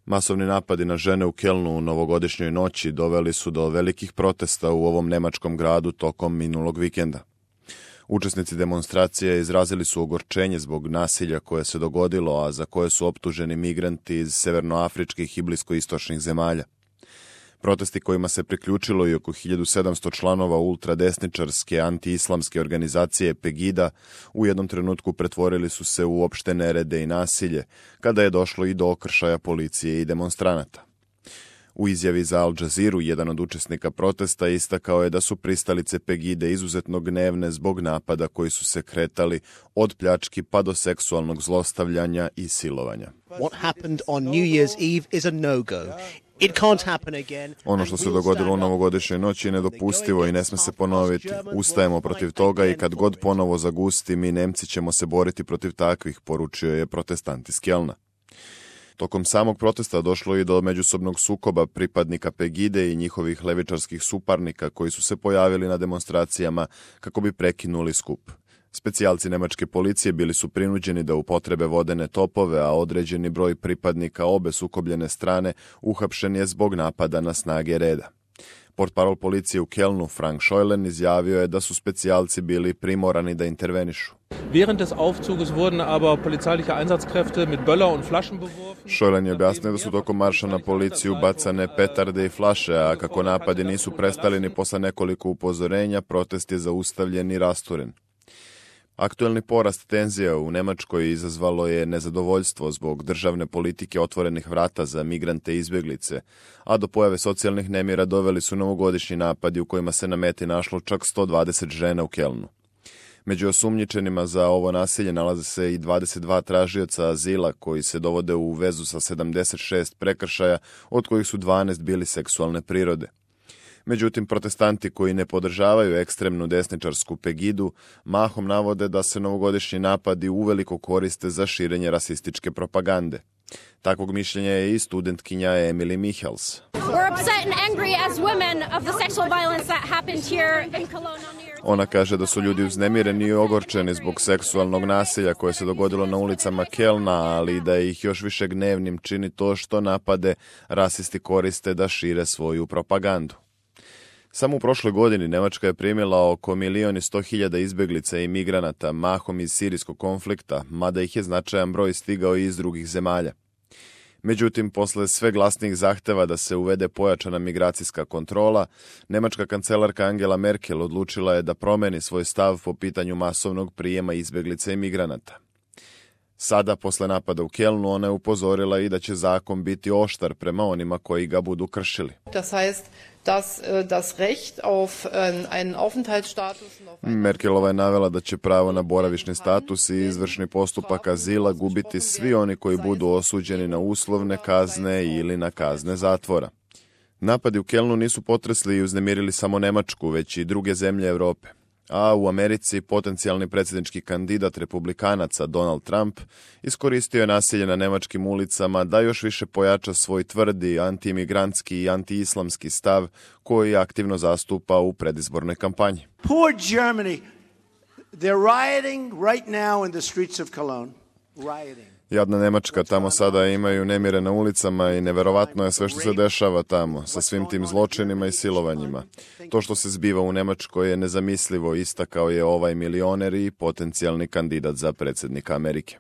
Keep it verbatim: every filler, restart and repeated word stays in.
Masovni napadi na žene u Kelnu u novogodišnjoj noći doveli su do velikih protesta u ovom nemačkom gradu tokom minulog vikenda. Učesnici demonstracije izrazili su ogorčenje zbog nasilja koje se dogodilo, a za koje su optuženi migranti iz severnoafričkih i bliskoistočnih zemalja. Protesti kojima se priključilo i oko hiljadu sedamsto članova ultradesničarske antiislamske organizacije Pegida u jednom trenutku pretvorili su se u opšte nerede i nasilje, kada je došlo i do okršaja policije i demonstranata. U izjavi za Al Jazeeru jedan od učesnika protesta istakao je da su pristalice Pegide izuzetno gnevne zbog napada koji su se kretali od pljački pa do seksualnog zlostavljanja i silovanja. What happened on New Year's Eve is a no-go. It can't happen again. Ono što se dogodilo u novogodišnjoj noći je nedopustivo i ne sme se ponoviti. Ustajemo protiv toga i kad god ponovo zagusti, mi Nemci ćemo se boriti protiv takvih, poručio je protestant iz Kelna. Tokom samog protesta došlo je do međusobnog sukoba pripadnika Pegide i njihovih levičarskih suparnika koji su se pojavili na demonstracijama kako bi prekinuli skup. Specijalci nemačke policije bili su prinuđeni da upotrebe vodene topove, a određeni broj pripadnika obe sukobljene strane uhapšen je zbog napada na snage reda. Portparol policije u Kelnu, Frank Scheulen, izjavio je da su specijalci bili primorani da intervenišu. Während des Aufzuges wurden aber polizeiliche Einsatzkräfte mit Böller und Flaschen beworfen. Scheulen je objasnio da su tokom marša na policiju bacane petarde i flaše, a kako napadi nisu prestali ni posle nekoliko upozorenja, protest je zaustavljen i rasturen. Aktuelni porast tenzija u Nemačkoj izazvalo je nezadovoljstvo zbog državne politike otvorenih vrata za migrante i izbjeglice, a do pojave socijalnih nemira doveli su novogodišnji napadi u kojima se na meti našlo čak sto dvadeset žena u Kelnu. Među osumnjičenima za ovo nasilje nalaze se i dvadeset dva tražioca azila koji se dovode u vezu sa sedamdeset šest prekršaja, od kojih su dvanaest bili seksualne prirode. Međutim, protestanti koji ne podržavaju ekstremnu desničarsku Pegidu mahom navode da se novogodišnji napadi uveliko koriste za širenje rasističke propagande. Takvog mišljenja je i studentkinja Emily Michels. Ona kaže da su ljudi uznemireni i ogorčeni zbog seksualnog nasilja koje se dogodilo na ulicama Kelna, ali da ih još više gnevnim čini to što napade rasisti koriste da šire svoju propagandu. Samo u prošloj godini Nemačka je primila oko milion i sto hiljada izbjeglica i migranata, mahom iz sirijskog konflikta, mada ih je značajan broj stigao i iz drugih zemalja. Međutim, posle sve glasnijih zahteva da se uvede pojačana migracijska kontrola, nemačka kancelarka Angela Merkel odlučila je da promeni svoj stav po pitanju masovnog prijema izbjeglica i migranata. Sada, posle napada u Kelnu, ona je upozorila i da će zakon biti oštar prema onima koji ga budu kršili. Das heißt, dass das Recht auf einen Aufenthaltsstatus Merkelova je navela da će pravo na boravišni status i izvršni postupak azila gubiti svi oni koji budu osuđeni na uslovne kazne ili na kazne zatvora. Napadi u Kelnu nisu potresli i uznemirili samo Nemačku, već i druge zemlje Europe. A u Americi potencijalni predsjednički kandidat republikanaca Donald Trump iskoristio je nasilje na nemačkim ulicama da još više pojača svoj tvrdi antiimigrantski i antiislamski stav koji aktivno zastupa u predizbornoj kampanji. Poor Germany. They're rioting right now in the streets of Cologne. Rioting. Jadna Nemačka, tamo sada imaju nemire na ulicama i neverovatno je sve što se dešava tamo, sa svim tim zločinima i silovanjima. To što se zbiva u Nemačkoj je nezamislivo, istakao je ovaj milioner i potencijalni kandidat za predsjednika Amerike.